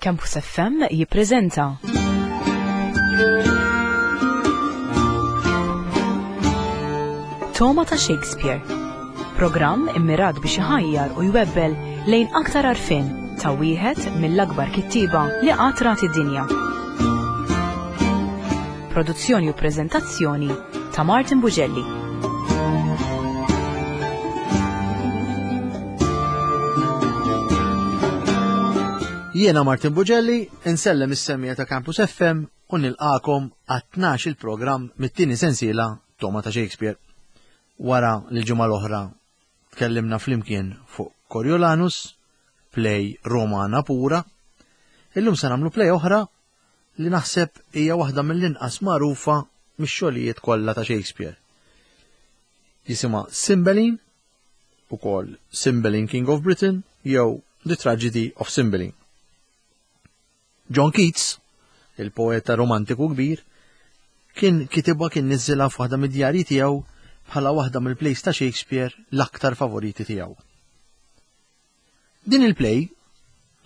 Campus FM jippreżenta. Toma ta' Shakespeare. Programm immirat biex iħajjar u jwebbel lejn aktar għarfien ta' wieħed mill-akbar kittieba li qatt rat id-dinja. Produzzjoni u preżentazzjoni ta' Martin Bugelli. Jiena Martin Bugelli, insellem is-semmija ta' Campus FM u nilqakom għat-12 il-programm mit-tieni sensiela Toma ta' Shakespeare. Wara li l-ġimgħa l-oħra tkellimna flimkien fuq Coriolanus, play Romana pura, illum se nagħmlu play oħra li naħseb hija waħda mill-inqas magħrufa mix-xogħlijiet kollha ta' Shakespeare. Jisimha Cymbeline, ukoll Cymbeline King of Britain jew The Tragedy of Cymbeline. John Keats, il-poeta romantiku kbir, kien kitibha kien niżżilha f'waħda mid-djarji tiegħu bħala waħda mill-plays ta' Shakespeare l-aktar favoriti tiegħu. Din il-play,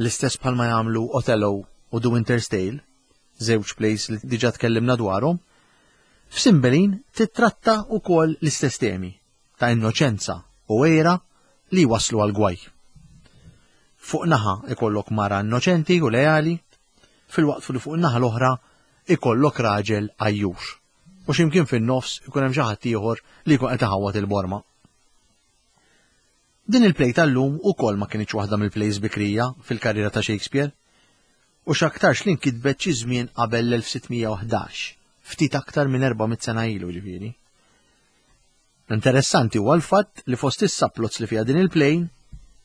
l-istess bħalma jagħmlu Othello u The Winter's Tale, żewġ plays li diġà tkellimna dwarhom, f'Cymbeline tittratta wkoll l-istess temi ta' innoċenza u għira li jwasslu għal gwaj. Fuq naħa ikollok mara innoċenti u leali, filwaqt li fuq in-naħa l-oħra ikollok raġel għajjur. U x'imkien fin-nofs ikun hemm xi ħadd ieħor li jkun qed iħawwad il-borma. Din il-play tal-lum ukoll ma kinitx waħda mill-plays bikrija fil-karriera ta' Shakespeare, u x'aktarx li nkitbet xi żmien qabel l-1611, ftit aktar minn 400 sena ilu ġifieri. Interessanti huwa l-fatt li fost is-subplots li fiha din il-play,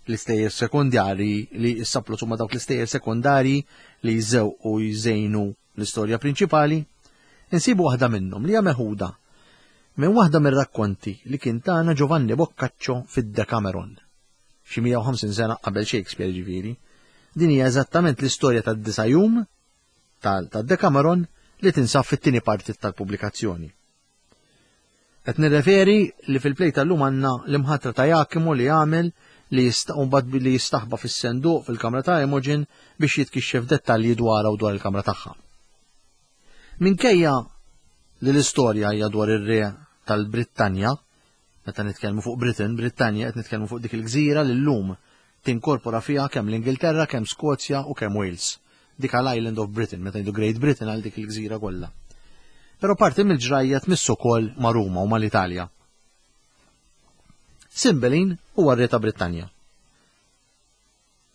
l-istejjer sekondarji li s-subplots huma dawk l-istejjer sekondarji li jżewqu u jżejnu l-istorja prinċipali, insibu waħda minnhom li hija meħuda minn waħda mir-rakkonti li kien tana Giovanni Boccaccio fid-Decameron, xi 150 sena qabel Shakespeare ġifieri. Din hija eżattament l-istorja tad-disa' jum tad-Decameron li tinsab fit-tieni parti tal-pubblikazzjoni. Qed nirreferi li fil-play tal-lum għandna l-imħatra ta' Jakimu li għamel li mbagħad li jistaħba fis-senduq fil-kamra ta' Imogen biex jitkixxef dettalji dwarha u dwar il-kamra tagħha. Minkejja li l-istorja hija dwar ir-re tal-Brittanja, meta nitkellmu fuq Britain, Brittanja qed nitkellmu fuq dik il-gżira li llum tinkorpora fiha kemm l-Ingilterra, kemm Skozja u kemm Wales. Dik għal Island of Britain, meta ngħidu Great Britain għal dik il-gżira kollha. Però parti mill-ġrajja tmiss ukoll ma' Ruma u mal-Italja. Cymbeline huwa r-re ta' Brittanja.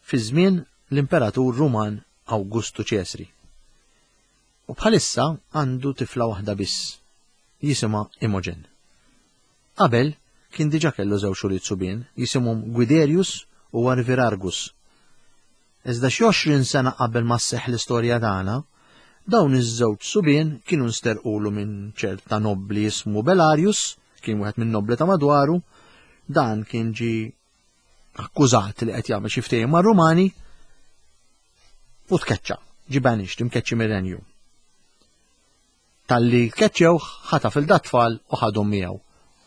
Fi żmien l-Imperatur Ruman Awgustu Ċesri. U bħalissa għandu tifla waħda biss, jisimha Imogen. Qabel kien diġà kellu żewġ ulied subien jisimhom Guiderius u Arvirargus. Iżda xi 20 sena qabel ma sseħħ l-istorja tagħna, dawn iż-żewġ subien kienu nsterqulu minn ċerta nobbli jismu Belarius, kien wieħed minn nobbli ta' madwaru, dan kien ġi akkużat li qed jagħmel xi ftehim mar-Rumani u tkeċċa, ġi banished, imkeċċi mir-renju. Talli keċċewh, ħataf il dat-tfal u ħadhom miegħu.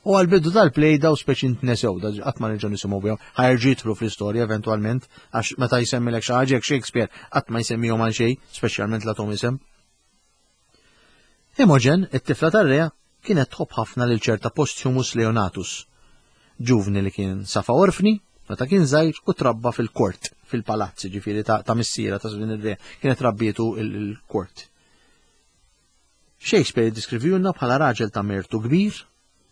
U għall-bidu tal-play daw speċi ntnesew, da qatt ma nerġgħu nisimgħu bihom, ħajerġgħu jidħlu fl-istorja eventwalment, għax meta jsemmilek xi ħaġa Shakespeare qatt ma jsemmihom għal xejn, speċjalment la tom isem. Imogen, it-tifla tar-re, kienet tħobb ħafna lil ċerta Posthumus Leonatus, ġuvni li kien safa orfni meta kien żgħir u trabba fil-kort, fil-palazz, ġifieri ta', ta missiera ta' din ir-re, kienet rabbietu il-kort. Shakespeare jiddiskrivihulna bħala raġel ta' mertu kbir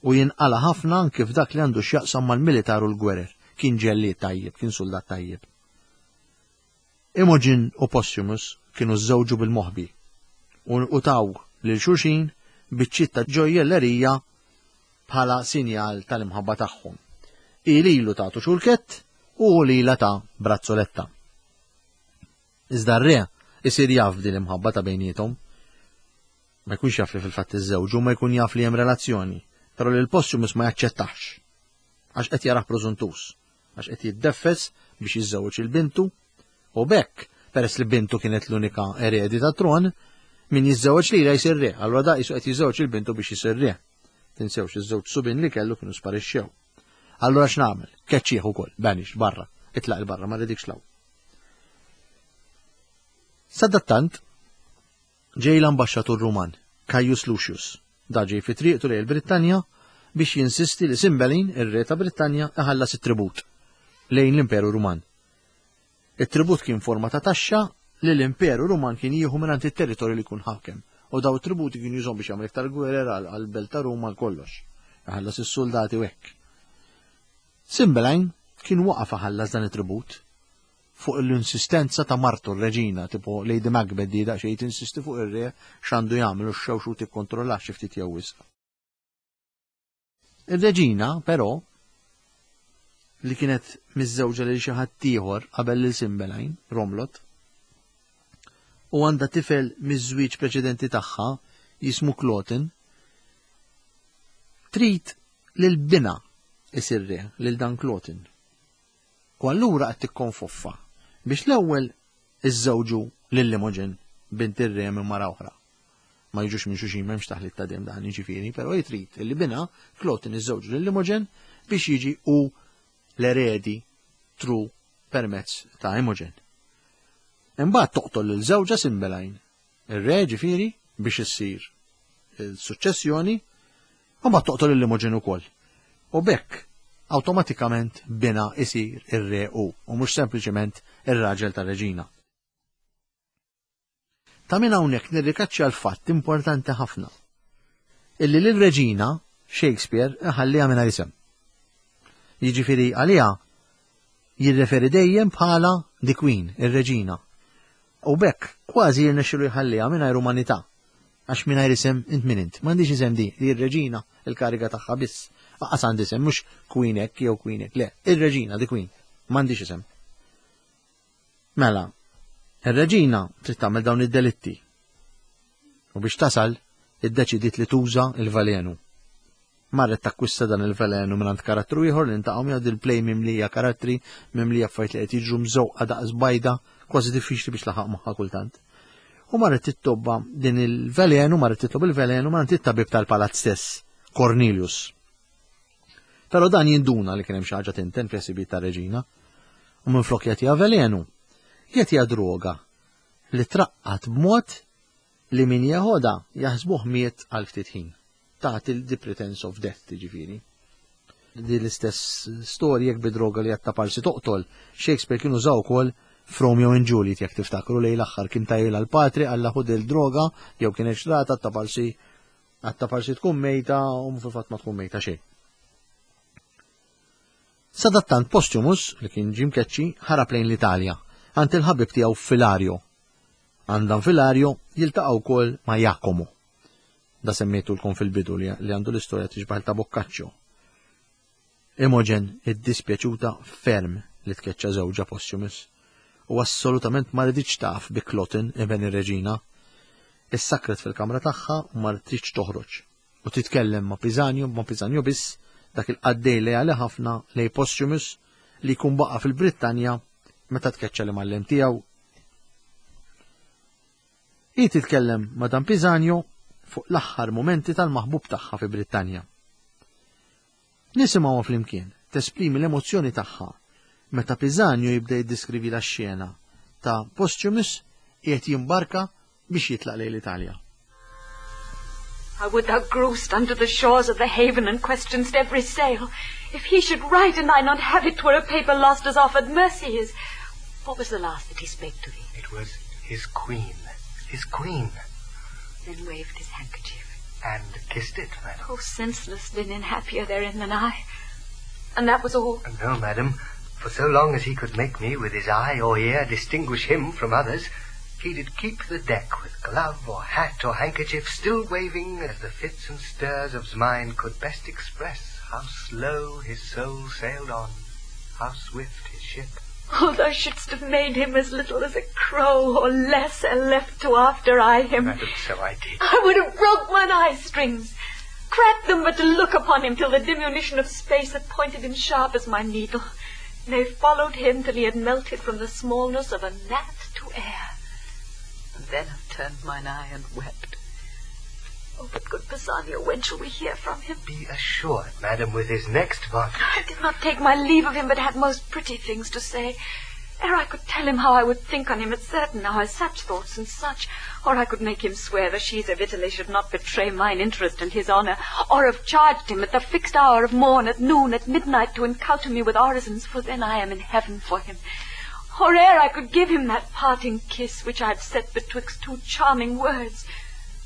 u jinqala' ħafna anki f'dak li għandu x'jaqsam mal-militar u l-gwerer. Kien ġellied tajjeb, kien suldat tajjeb. Imogen u Posthumus kienu żżewġu bil-moħbi u taw lil xulxin biċċiet ta' ġojjellerija bħala sinjal tal-imħabba tagħhom. Hi lilu tagħtu xulkett u hu lilha ta brazzoletta. Iżda r-re isir jaf b'din l-imħabba ta' bejniethom. Ma jkunx jaf li fil-fatt iżżewġu, ma jkun jaf li hemm relazzjoni, però lil Posthumus ma jaċċettax. Għax qed jarah prożuntuż, għax qed jiddeffes biex jiżżewweġ il bintu u b'hekk, peress li bintu kienet l-unika eredi tat-tron, min jiżżewweġ lilha jsir re, allura da qisu qed jiżżewweġ il bintu biex isir re. Tinsewx iż-żewġ subien li kellu kienu sparixxew. Allura x'nagħmel? Keċċieħ ukoll, banish, barra, itlaq il barra, ma rridikx law. Sadattant, ġej l-ambaxxatur Ruman, Caius Lucius. Da ġej fi triqtu lejn il-Brittanja biex jinsisti li Cymbeline, ir-re ta' Brittanja, iħallas it-tribut lejn l-Imperu Ruman. It-tribut kien forma ta' taxxa li l-Imperu Ruman kien jieħu mingħand it-territorju li jkun ħakem. U daw it-tributi kien jużhom biex jagħmel iktar gwerer għall-belt ta' Ruma għal kollox. Iħallas is-suldati u hekk. Cymbeline kien waqaf iħallas dan it-tribut fuq l-insistenza ta' martu r-reġina, tipo Lady Macbeth di daqsxejn tinsisti fuq ir-re x'għandu jagħmel u x-xewx u tikkontrollax xi ftit jew wisq. Ir-reġina, però, li kienet miżżewġa lil xi ħadd ieħor qabel lil Cymbeline, Romlot, u għandha tifel miż-żwieġ preċedenti tagħha jismu Cloten, trid lil binha isir re, lil dan Cloten. U allura qed tikkonfoffa biex l-ewwel iżżewġu lil Imogen, bint ir-re minn mara oħra. Ma jiġux minn xulxin m'hemmx taħlit ta' demm dan jiġifieri, però hi trid li binha Cloten iżżewġu lil Imogen biex jiġi hu l-eredi tru permezz ta' Imogen. Imbagħad toqtol lil żewġha Cymbeline, ir-re ġifieri biex issir il-suċċessjoni, u mbagħad toqtol lil Imogen ukoll. U b'hekk awtomatikament binha isir ir-re hu u mhux sempliċement ir-raġel tar-reġina. Ta' min hawnhekk nirrikaċċja l-fatt importanti ħafna illi lir-reġina Shakespeare iħalliha mingħajr isem. Jiġifieri għaliha jirreferi dejjem bħala the Queen, ir-reġina. U b'hekk kważi jirnexxilu jħalliha mingħajr umanità. Għax mingħajr isem int min int. M'għandix isem di, li r-reġina il-kariga tagħha biss. Aqqas għandi isem, mhux Queen hekk jew Queen hekk, le, ir-reġina, the Queen. M'għandix isem. Mela, ir-reġina trid tagħmel dawn id-delitti. U biex tasal, iddeċidiet li tuża il-velenu. Marret takkwista dan il-velenu mingħand karattru ieħor li ntaqgħu miegħu dil-play mimlija karattri, mimlija affarijiet li qed jiġru mżewqa daqs bajda, kważi diffiċli biex laħaq magħha kultant. U marret tittobba din il-velenu, marret titlob il-velenu mingħand it-tabib tal-palazz stess, Cornelius. Però dan jinduna li kien hemm xi ħaġa tinten fl-ħsibijiet tar-reġina u minflok jagħtiha velenu, jagħtiha droga li traqqat b'mod li min jeħodha jaħsbuh miet għal ftit ħin. Tagħti the pretense of death jiġifieri. Di l-istess storja jekk bi droga li għatta parsi toqtol, Shakespeare kien użaw ukoll f'Romeo and Juliet jekk tiftakru lejn l-aħħar kien tajjel għal patri għalla ħud il-droga jew kien xrata ta' parsi Għatta parsi tkun mejta u fil-fatt ma tkun mejta xejn. Sadattant Posthumus, li kien ġie mkeċċi, ħarab lejn l-Italja, għand il-ħabib tiegħu Filario. Għand dan Filario jiltaqa' wkoll ma' Jacomo. Da semmejtulkom fil-bidu li għandu l-istorja tixbaħ ta' Boccaccio. Imogen iddispjaċuta ferm li tkeċċa żewġha Posthumus u assolutament ma riditx taf bi Cloten, iben ir-reġina. Issakkret fil-kamra tagħha u ma ridtx toħroġ. U titkellem ma' Pisanio, ma' Pisanio biss, dak il-qaddej leali ħafna lejn Posthumus li jkun baqa' fil-Brittanja meta tkeċċa l-imgħallem tiegħu. Hi titkellem ma' dan Pisanio fuq l-aħħar mumenti tal-maħbub tagħha fi Brittanja. Nisimgħuha flimkien tesprimi l-emozzjoni tagħha meta Pisanio jibda jiddiskrivilha x-xena ta' Posthumus qiegħed jimbarka biex jitlaq lejn l-Italja. I would thou grewst unto the shores of the haven and question'st every sail. If he should write and I not have it, twere a paper lost as offered mercy is. What was the last that he spake to thee? It was his queen, his queen. Then waved his handkerchief. And kissed it, madam. Oh, senseless linen, happier therein than I. And that was all? No, madam. For so long as he could make me with his eye or ear distinguish him from others, he did keep the deck with glove or hat or handkerchief still waving as the fits and stirs of's mind could best express how slow his soul sailed on, how swift his ship. Oh, thou shouldst have made him as little as a crow, or less, and left to after eye him. Madam, so I did. I would have broke mine eye strings, cracked them but to look upon him till the diminution of space had pointed him sharp as my needle. Nay, followed him till he had melted from the smallness of a gnat to air. And then have turned mine eye and wept. Oh, but good Pisanio, when shall we hear from him? Be assured, madam, with his next volume. I did not take my leave of him, but had most pretty things to say. Ere I could tell him how I would think on him at certain hours, such thoughts and such, or I could make him swear the she's of Italy should not betray mine interest and his honour, or have charged him at the fixed hour of morn, at noon, at midnight, to encounter me with orisons, for then I am in heaven for him. Or ere I could give him that parting kiss which I had set betwixt two charming words,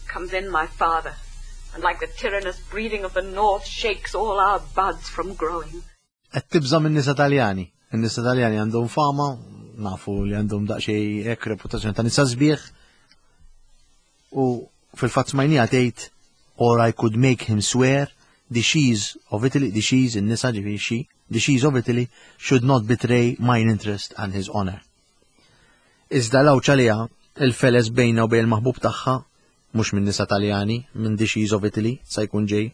comes in my father, and like the tyrannous breathing of the north shakes all our buds from growing. Qed tibża' min-nisa Taljani. In-nisa Taljani għandhom fama, nafu li għandhom daqsxejn hekk reputazzjoni ta' nisa sbieħ. U fil-fatt smajnija tgħid or I could make him swear the she's of Italy, the she's in-nisa ġifieri she, the she's of Italy should not betray mine interest and his honor. Iżda l-għawġ għaliha, il-feles bejnha u bejn il-maħbub tagħha, mhux minn nisa Taljani, minn the she's of Italy, sa jkun ġej,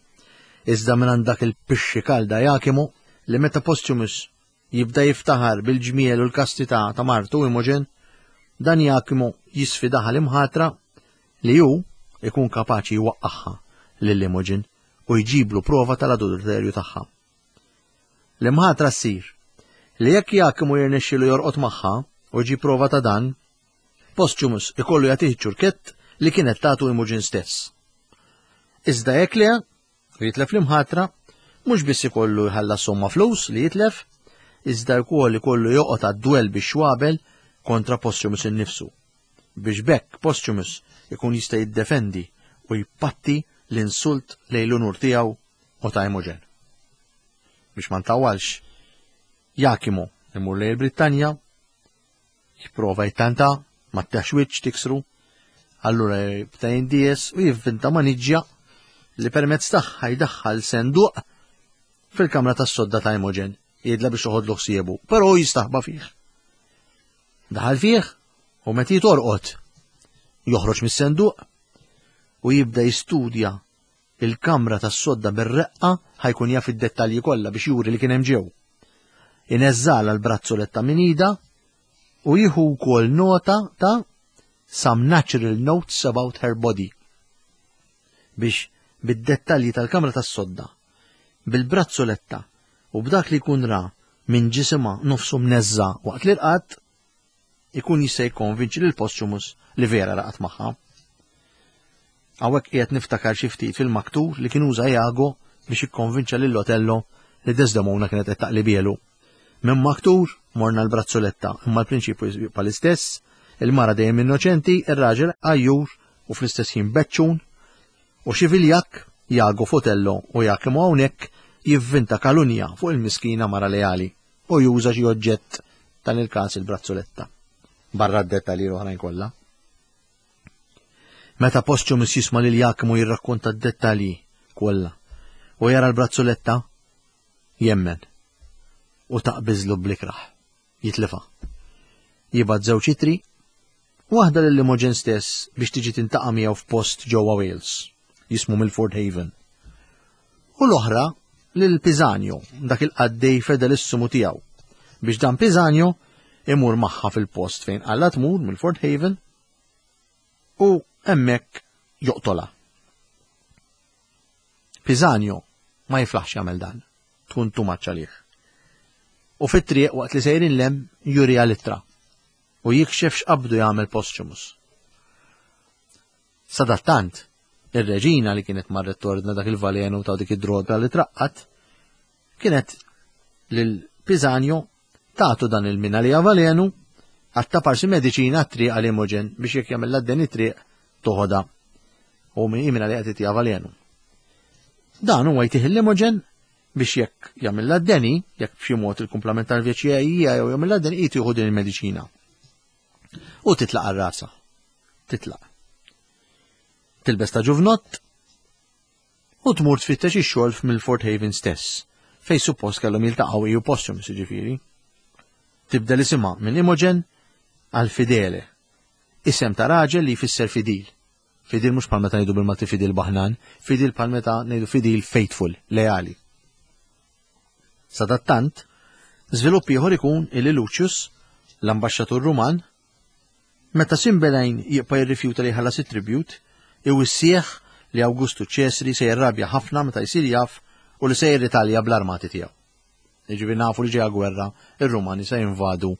iżda mingħand dak il-pixxi kalda Jachimo li meta Posthumus jibda jiftaħar bil-ġmiel u l-kastità ta' martu Imogen, dan Jachimo jisfidaha l-imħatra li hu ikun kapaċi jwaqqagħha lil Imogen u jġiblu prova tal-adulterju tagħha. L-imħatra ssir li jekk Jakimu jirnexxilu jorqod magħha u jġib prova ta' dan, Posthumus ikollu jagħtih iċ-ċurkett li kienet tagħtu Imogen stess. Iżda jekk le, u jitlef l-imħatra, mhux biss ikollu jħallas somma flus li jitlef, iżda wkoll ikollu joqgħod għad-dwell bix-xwabel kontra Posthumus innifsu. Biex b'hekk Posthumus ikun jista' jiddefendi u jpatti l-insult lejn l-unur tiegħu u ta' Imogen. Biex ma ntawwalx, Jakimu imur lejn il-Brittanja, jipprova jittanta, ma tteħx wiċċ tiksru, allura jibda jindies u jivvinta maniġġja li permezz tagħha jdaħħal senduq fil-kamra tas-sodda ta' Imogen, jgħidla biex toħodlu ħsiebu, però hu jistaħba fih. Daħal fih u meta jitorqod joħroġ mis-senduq u jibda jistudja il-kamra tas-sodda bir-reqqa ħa jkun jaf id-dettalji kollha biex juri li kien hemm ġew. Ineżżalha l-brazzoletta minn idha u jieħu wkoll nota ta' some natural notes about her body biex bid-dettalji tal-kamra tas-sodda, bil-brazzoletta u b'dak li jkun ra minn ġisimha nofsu mneżża' waqt li rqad, ikun jista' jikkonvinċi lil Posthumus li vera raqad magħha. Hawnhekk qiegħed niftakar xi ftit fil-maktur li kien uża Iago biex jikkonvinċa lil Otello li Desdemona kienet qed taqlibielu. Minn maktur morna l-brazzoletta, imma l-prinċipju jibqa' l-istess, il-mara dejjem innoċenti, ir-raġel għajjur u fl-istess ħin beċċun, u xi viljakk, Iago f'Otello u Iachimo hawnhekk jivvinta kalunja fuq il-miskina mara leali u juża xi oġġett dan il-każ il-brazzoletta. Barra d-dettalji l-oħrajn kollha. Meta Posthumus jisma' lil Jakimu jirrakkonta d-dettalji kollha u jara l-brazzoletta, jemmen u taqbiżlu bl-ikrah. Jitlifha. Jibgħat żewġ itri, waħda lil Imogen stess biex tiġi tintaqa' miegħu f'post ġewwa Wales, jismu Milford Haven. U l-oħra lil Pisanio, dak il-qaddej fedelissimu tiegħu, biex dan Pisanio imur magħha fil-post fejn qallha tmur Milford Haven u hemmhekk joqtolha. Pisanio ma jiflaħx jagħmel dan, tkun too much għalih. U fit-triq waqt li sejrin lem juriha l-ittra u jikxef x'qabdu jagħmel Posthumus. Sadattant, ir-reġina li kienet marret tordna dak il-valenu ta' dik id-droga li traqqat, kienet lil Pisanio tagħtu dan il-mina li valenu għatta parsi mediċina għat-triq għal Imogen biex jekk jagħmel din it-triq toħodha u minn li qed itiha valenu. Dan huwa jtih l-Imogen biex jekk jagħmilha d-deni, jekk b'xi mod il-kumplament tal-vjaġġ hija jew jagħmilha d-deni hi tieħu din il-mediċina. U titlaq għal rasa. Titlaq. Tilbes ta' ġuvnott u tmur tfittex ix-xogħol f'Milford Haven stess, fej suppost kellhom jiltaqgħu hi u Posthumus jiġifieri. Tibdel isimha minn Imogen għal Fidele, isem ta' raġel li jfisser fidil. Fidil mhux bħal meta ngħidu bil-Malti fidil baħnan, fidil bħal meta ngħidu fidil faithful, leali. Sadattant, żvilupp ieħor ikun illi Lucius, l-ambaxxatur Ruman, meta Simbelain jibqa' jirrifjuta li jħallas it-tribute, iwissih li Awgustu Ċesri se jirrabja ħafna meta jsir jaf u li se jirritalja bl-armati tiegħu. Jiġifieri nafu li ġejja gwerra, ir-Rumani se jinvadu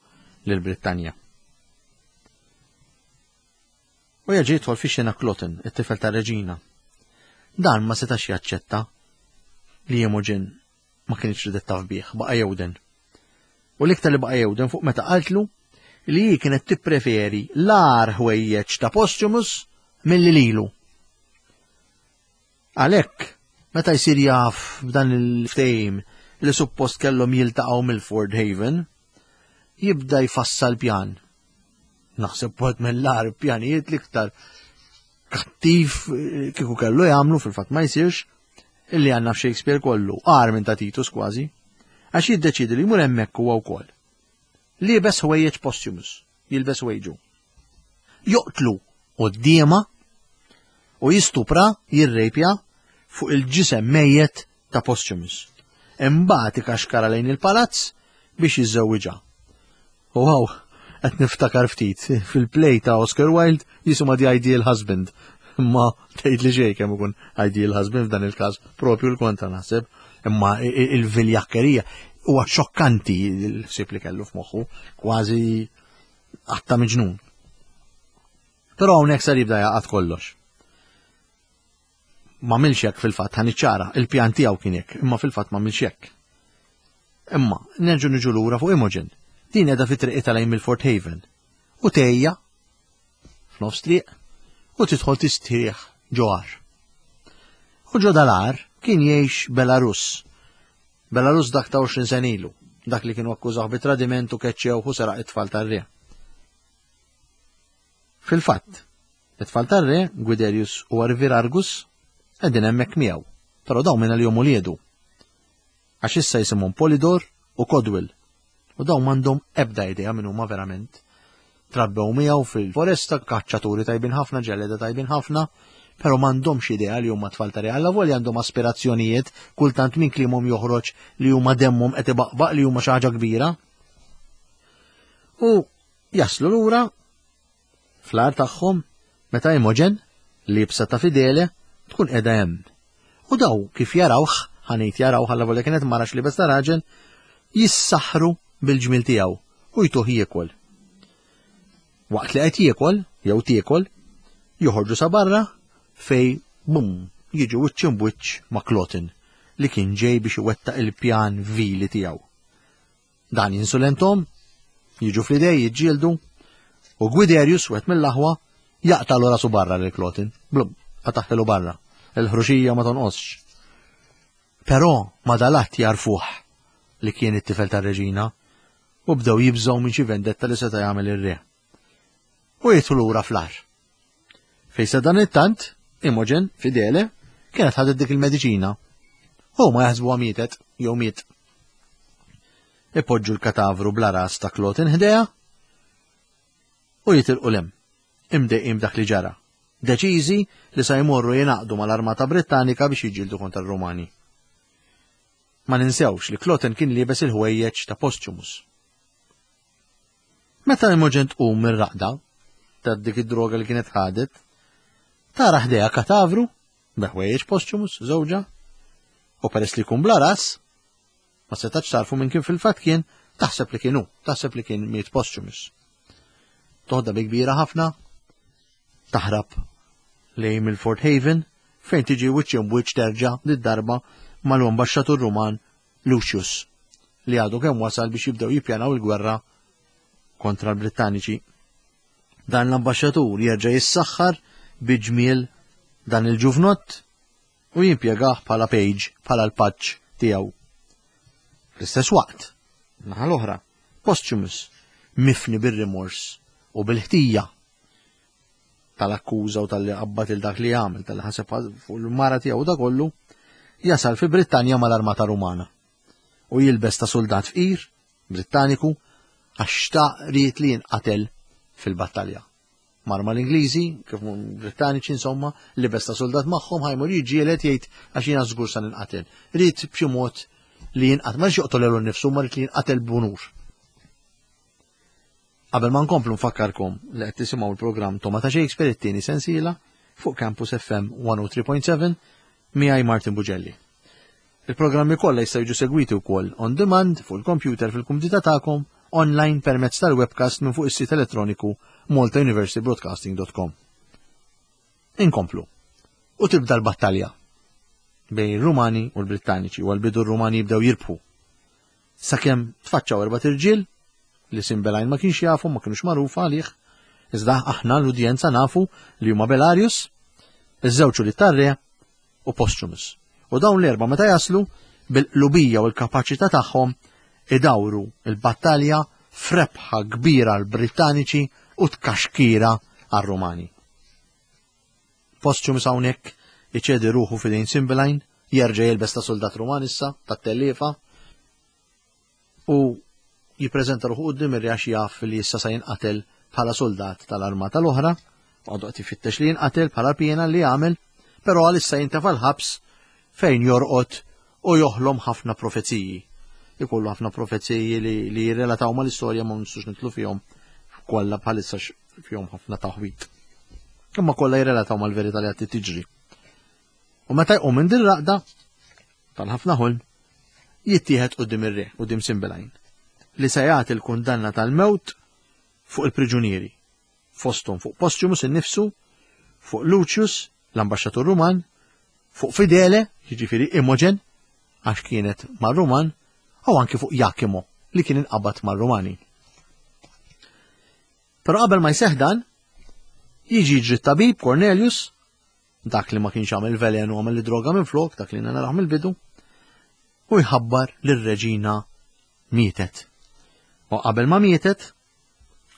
lil Brittanja. U jerġa' jidħol fix-xena Cloten, it-tifel tar-reġina. Dan ma setax jaċċetta li Imogen ma kienx ridet taf bih, baqa' jewden. U l-iktar li baqa' jewden fuq meta qaltlu li hi kienet tippreferi l-agħar ħwejjeġ ta' Posthumus milli lilu. Għalhekk, meta jsir jaf b'dan il-ftehim li suppost kellhom jiltaqgħu Milford Haven, jibda jfassal pjan. Naħseb wieħed mill-agħar pjanijiet l-iktar kattiv eh, kieku kellu jagħmlu fil-fatt ma jsirx illi għandna f'Shakespeare kollu, agħar minn ta' Titus kważi, għax jiddeċidi li jmur hemmhekk huwa wkoll. Liebes ħwejjeġ Posthumus, jilbes ħwejġu. Joqtlu quddiemha u jistupra, jirrejpja fuq il-ġisem mejjet ta' Posthumus. Imbagħad ikaxkara lejn il-palazz biex jiżżewwiġha. U hawn qed niftakar ftit fil-play ta' Oscar Wilde jisimha The Ideal Husband. Imma tgħid li xejn kemm ikun ideal husband f'dan il-każ, propju l-kontra naħseb. Imma il-viljakkerija huwa xokkanti l-ħsieb li kellu f'moħħu, kważi għatta miġnun. Però hawnhekk sar jibda jaqgħad kollox. Ma milx hekk fil-fatt ħa niċċara, il-pjan tiegħu kien hekk, imma fil-fatt ma milx hekk. Imma nerġu niġu lura fuq Imogen. Din qiegħda fi triqitha lejn Milford Haven. U tgħejja f'nofs triq u tidħol tistrieħ ġo għar. U ġo dal-għar kien jgħix Belarus. Belarus dak ta' 20 sen ilu, dak li kienu akkużaw bi tradiment u keċċew u seraq it-tfal tar-re. Fil-fatt, it-tfal tar-re, Guiderius u Arvirargus, qegħdin hemmhekk miegħu, però dawn minn għalihom uliedu. Għax issa jisimhom Polidor u Codwill, u dawn m'għandhom ebda idea min huma verament. Trabbew miegħu fil-foresta, kaċċaturi tajbin ħafna, ġelleda tajbin ħafna, però m'għandhomx idea li huma tfal ta' re. Allavolja għandhom aspirazzjonijiet, kultant minn kliemhom joħroġ li huma demmhom qed ibaqbaq li huma xi ħaġa kbira. U Jaslu lura fl-għar tagħhom meta Imogen, liebsa ta' Fidele, tkun qiegħda hemm. U daw kif jarawh, ħa ngħid jarawh allavolja kienet mara x'liebes ta' raġel, jissaħħru bil-ġmiel tiegħu u jtuh jiekol. Waqt li qed jiekol, jew tiekol, joħorġu sa barra fej bum jiġu wiċċ imbwiċċ ma' Cloten li kien ġej biex iwettaq il-pjan vili tiegħu. Dan jinsulenthom, jiġu fl-idej, jiġġieldu, u Gwiderius, wieħed mill-aħwa, jaqtagħlu rasu barra lil Klotin. Blum, qataħħilu barra. Il-ħruxija ma tonqosx. Però ma dalat jarfuh li kien it-tifel tar-reġina u bdew jibżgħu minn xi vendetta li seta' jagħmel ir-re. U jidħlu lura fl-għar. Fejn sadanittant, Imogen, fidele, kienet ħadet dik il-mediċina. Huma jaħsbuha mietet, jew miet. Ipoġġu l-katavru bla ras ta' Cloten ħdejha u jitilqu 'l hemm, imdejqin b'dak li ġara, deċiżi li sa jmorru jingħaqdu mal-armata Brittanika biex jiġġieldu kontra r-Rumani. Ma ninsewx li Cloten kien liebes il-ħwejjeġ ta' Posthumus. Meta Imogen tqum mir-raqda ta' dik id-droga li kienet ħadet, tara ħdejha katavru bi ħwejjeġ Posthumus, żewġha, u peress li jkun bla ras, ma setax tarfu minn kien fil-fatt kien, taħseb li kien hu, taħseb li kien miet Posthumus. Toħda bi kbira ħafna, taħrab lejn Milford Haven, fejn tiġi wiċċ imbwiċċ terġa' lid-darba mal-ambaxxatur Ruman Lucius, li għadu kemm wasal biex jibdew jippjanaw il-gwerra kontra l-Brittaniċi. Dan l-ambaxxatur jerġa' jissaħħar bi ġmiel dan il-ġuvnott u jimpjegah bħala page, bħala l-paġġ tiegħu. Fl-istess waqt, naħa l-oħra, Posthumus, mifni bir-rimors u bil-ħtija tal-akkuża u tal-li qabbad il dak li għamel, tal-li ħaseb fuq il-mara tiegħu da kollu, jasal fi Brittanja mal-armata Rumana u jilbes ta' soldat fqir Brittaniku għax xtaq ried li jinqatel fil-battalja. Mar mal-Ingliżi, kif Brittaniċi insomma, libes ta' soldat magħhom ħajmur jiġġieled jgħid għax jiena żgur sa ninqatel. Ried b'xi mod li jinqatel, ma rridx joqtol nifsu, ma ried li jinqatel b'unur. Qabel ma nkomplu nfakkarkom li qed tisimgħu l-programm Toma ta' Shakespeare it-tieni sensiela fuq Campus FM 103.7 miegħi Martin Bugelli. Il-programmi kollha jistgħu jiġu segwiti wkoll on demand fuq il-computer fil-kumdità tagħkom online permezz tal-webcast minn fuq is-sit elettroniku maltauniversitybroadcasting.com. Inkomplu. U tibda l-battalja bejn ir-Rumani u l-Brittaniċi u għal-bidu r-Rumani jibdew jirbħu. Sakemm tfaċċaw erbat irġiel li Simbelajn ma kienx jafu, ma kienux magħrufa għalih, iżda aħna l-udjenza nafu li huma Belarius, iż-żewġ li tarre u Posthumus. U dawn l-erba' meta jaslu bil-qlubija u l-kapaċità tagħhom idawru l-battalja f'rebħa kbira għall-Brittaniċi u tkaxkira għar-Rumani. Posthumus hawnhekk iċedi ruħu f'idejn Cymbeline, jerġa' jilbes ta' soldat Ruman issa, tat-telliefa, u jippreżenta ruħu quddiem ir-re għax jaf li issa sa jinqatel bħala soldat tal-armata l-oħra, għadu qed ifittex li jinqatel bħala piena li għamel, però għalissa jintefa' l-ħabs fejn jorqod u joħlom ħafna profeziji. Ikollu ħafna profeziji li, li jirrelataw mal-istorja ma nistux nitlu fihom kollha bħalissa fihom ħafna taħwit. Imma kollha jirrelataw mal-verità li qed tiġri. U meta jqum minn din raqda tal-ħafna ħolm, jittieħed quddiem ir-re, quddiem Simbelajn, li se jagħti l-kundanna tal-mewt fuq il-priġunieri, fosthom fuq Posthumus innifsu, fuq Lucius, l-ambaxxatur Ruman, fuq Fidele, jiġifieri Imogen, għax kienet mar-Ruman, u anki fuq Jakimo, li kien inqabad mar-Rumani. Però qabel ma jseħħ dan, jiġi jiġri t-tabib Cornelius dak li ma kienx għamel velenu għamel li droga minn flok, dak li naraħ mill-bidu, u jħabbar li r-reġina mietet. U qabel ma mietet,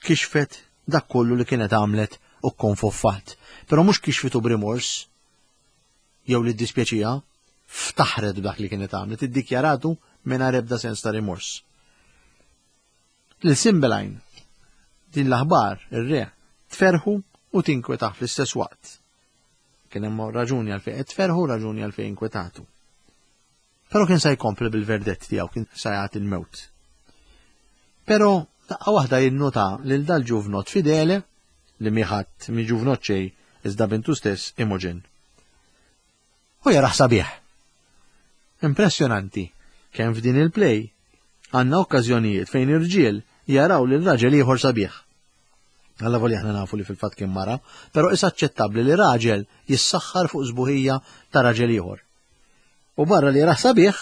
kixfet dak kollu li kienet għamlet u konfoffat. Però mhux kixfitu b'rimors, jew li ddispjaċiha, ftaħret b'dak li kienet għamlet, iddikjaratu mingħajr ebda sens ta' rimors. Lil Cymbeline, din l-aħbar, ir-re, tferrħu u tinkwetah fl-istess waqt. Kien hemm raġuni għalfejn qed tferrħu, raġuni għalfejn inkwetatu. Però kien se jkompli bil-verdett tiegħu, kien se jagħti l-mewt. Però daqqa waħda jinnota lil dal-ġuvnot fidele li miħadd mi ġuvnot xejn iżda bintu stess Imogen. U jarah sabiħ. Impressjonanti kemm f'din il-play għandna okkażjonijiet fejn irġiel jaraw lil raġel ieħor sabiħ. Alla voli aħna nafu li fil-fatt kien mara, però is aċċettabbli li raġel jissaħħar fuq sbuħija ta' raġel ieħor. U barra li jarah sabiħ,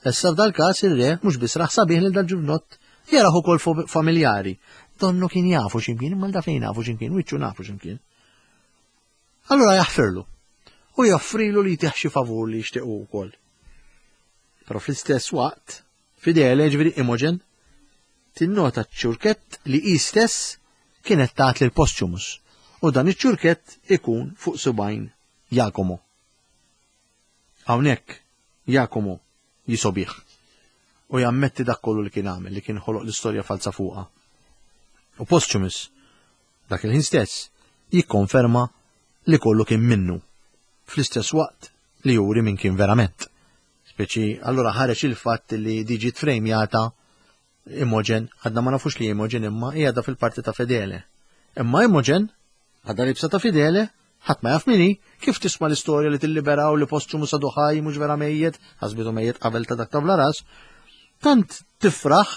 issa f'dal-każ ir-re mhux biss rah sabiħ lil dal-ġuvnott, jarah ukoll familjari. Donnu kien jafu x'imkien, imma da fejn nafu x'imkien, wiċċu nafu x'imkien. Allura jaħfirlu u joffrilu li jtih xi favur li jixtieq hu wkoll. Però fl-istess waqt, Fidele, ġifieri Imogen, tinnota ċ-ċurkett li hi stess kienet tat lil Posthumus u dan iċ-ċurkett ikun fuq subgħajn Jacomo. Hawnhekk Jacomo jisobih u jammetti dak kollu li kien għamel, li kien ħoloq l-istorja falza fuqha. U Posthumus Dak il-ħin stess, jikkonferma li kollu kien minnu, fl-istess waqt li juri min kien verament. Speċi, allura ħareġ il-fatt li di ġiet frejmjata Imogen, għadna ma nafux li Imogen imma qiegħda fil-parti ta' Fedele. Imma Imogen, għadha libsa ta' Fidele, ħadd ma jaf min hi, kif tisma' l-istorja li tilliberaw li Posthumus għadu ħaj mhux vera mejjet, ħasbitu mejjet qabel ta' dak ta' bla ras, tant tifraħ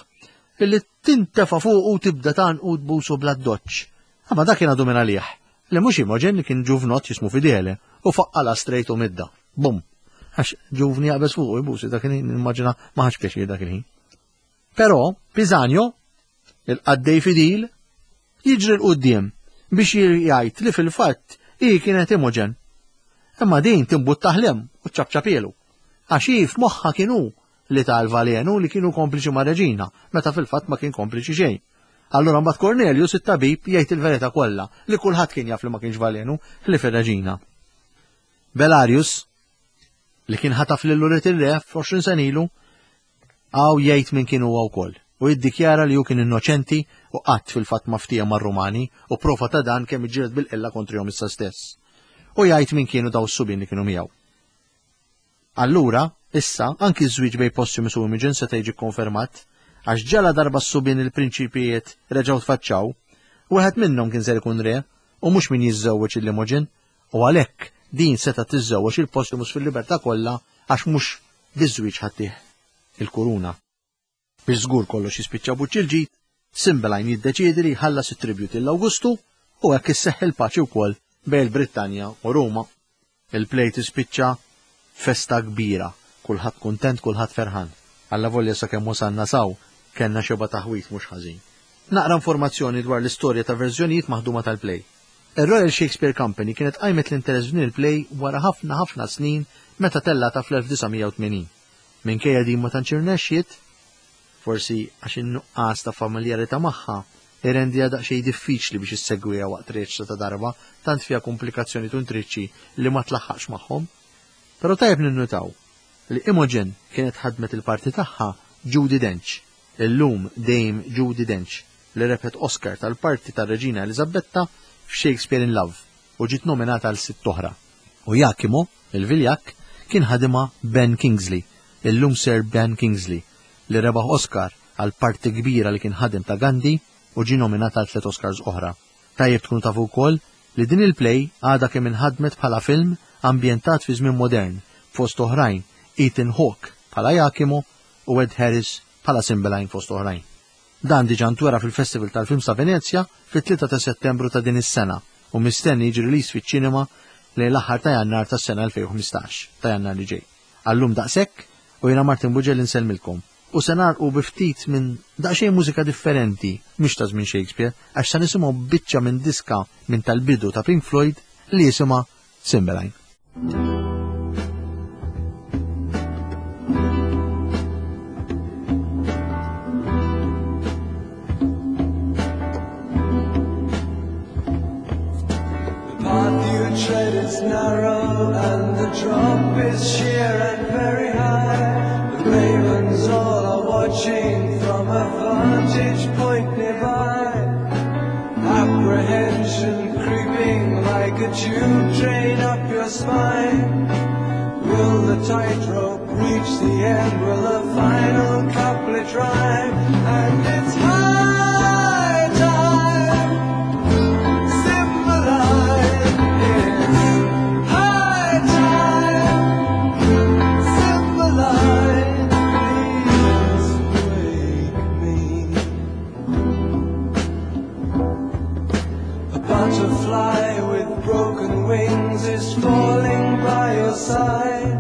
illi tintefa' fuqu u tibda tgħannqu u tbusu bl-addoċċ. Imma dak kien għadu minn għalih, li mhux Imogen li kien ġuvnott jismu Fidele, u faqqalha straight u midda. Bum! Għax ġuvni jaqbeż fuqu jbusi dak il-ħin, nimmaġina ma ħadx pjaċir dak il-ħin. Però Pisanio, il-qaddej fidil, jiġri 'l quddiem biex jgħid li fil-fatt hi kienet Imogen. Imma din timbuttah 'l hemm u ċċapċapielu. Għax hi f'moħħha kien hu li ta l-valenu li kienu kompliċi mar-reġina, meta fil-fatt ma kien kompliċi xejn. Allura mbagħad Cornelius it-tabib jgħid il-verità kollha li kulħadd kien jaf li ma kienx valenu ħlief ir-reġina. Belarius, li kien ħataf lil ulied ir-re f'20 sena ilu, hawn jgħid min kien huwa wkoll u jiddikjara li hu kien innoċenti u qatt fil-fatt ma ftiehem mar-Rumani u prova ta' dan kemm iġġieled bil-qilla kontrihom issa stess. U jgħid min kienu daw s-subien li kienu miegħu. Allura, issa, anki ż-żwieġ bejn Posthumus u Imogen seta' jiġi kkonfermat, għax ġaladarba s-subien il-prinċipijiet reġgħu tfaċċaw, wieħed minnhom kien ser ikun re, u mhux min jiżżewweġ 'il Imogen, u għalhekk din setgħet tiżżewweġ 'il Posthumus fil-libertà kollha għax mhux biż-żwieġ ħa ttih il-kuruna. Biex żgur kollox jispiċċa b'wiċċ il-ġid, Cymbeline jiddeċiedi li jħallas it-tribute lil Awgustu u hekk isseħħ il-paċi wkoll bejn il-Brittanja u Ruma. Il-play tispiċċa festa kbira, kulħadd kuntent, kulħadd ferħan. Allavolja sakemm wasalna s'hawn kellna xebgħa taħwid mhux ħażin. Naqra informazzjoni dwar l-istorja ta' verżjonijiet maħduma tal-play. Ir-Royal Shakespeare Company kienet qajmet l-interess f'din il-play wara ħafna ħafna snin meta tellgħetha fl-1980. Minkejja din ma tantx irnexxiet, forsi għax in-nuqqas ta' familjarità magħha irendiha daqsxejn diffiċli biex issegwiha waqt reċta ta' darba, tant fiha kumplikazzjonijiet u intriċċi li ma tlaħħaqx magħhom. Però tajjeb ninnutaw li Imogen kienet ħadmet il-parti tagħha Judi Dench, illum Dame Judi Dench, li rebħet Oscar tal-parti tar-Reġina Eliżabetta f'Shakespeare in Love u ġiet nominata għal sitt oħra. U Iachimo, il-viljakk, kien ħadimha Ben Kingsley, illum Sir Ben Kingsley, li rebaħ Oscar għal parti kbira li kien ħadem ta' Gandhi u ġie nominat għal tliet Oscars oħra. Tajjeb tkunu tafu wkoll li din il-play għadha kemm inħadmet bħala film ambjentat fi żmien modern, fost oħrajn Ethan Hawke bħala Iachimo u Ed Harris bħala Cymbeline fost oħrajn. Dan diġà ntwera fil-Festival tal-Films ta' Venezja fit-3 ta' Settembru ta' din is-sena u mistenni jiġi released fiċ-ċinema lejn l-aħħar ta' Jannar tas-sena 2015, ta' Jannar li ġej. Għal-lum daqshekk u jiena Martin Bugelli nsellmilkom. U se nagħlqu bi ftit minn daqsxejn mużika differenti, mhix ta' żmien Shakespeare, għax se nisimgħu biċċa minn diska minn tal-bidu ta' Pink Floyd li jisimha Cymbeline. Tread is narrow and the drop is sheer and very high. The ravens all are watching from a vantage point nearby. Apprehension creeping like a tube train up your spine. Will the tightrope reach the end? Will the final couplet rhyme? And it's high time. Cymbeline, it's high time. Cymbeline, please wake me. A butterfly with broken wings is falling by your side.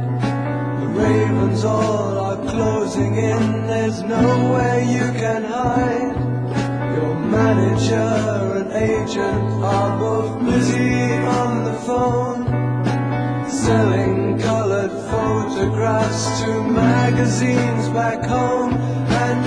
The ravens all are closing in, there's nowhere you can hide. Your manager and agent are both busy on the phone, selling colored photographs to magazines back home. And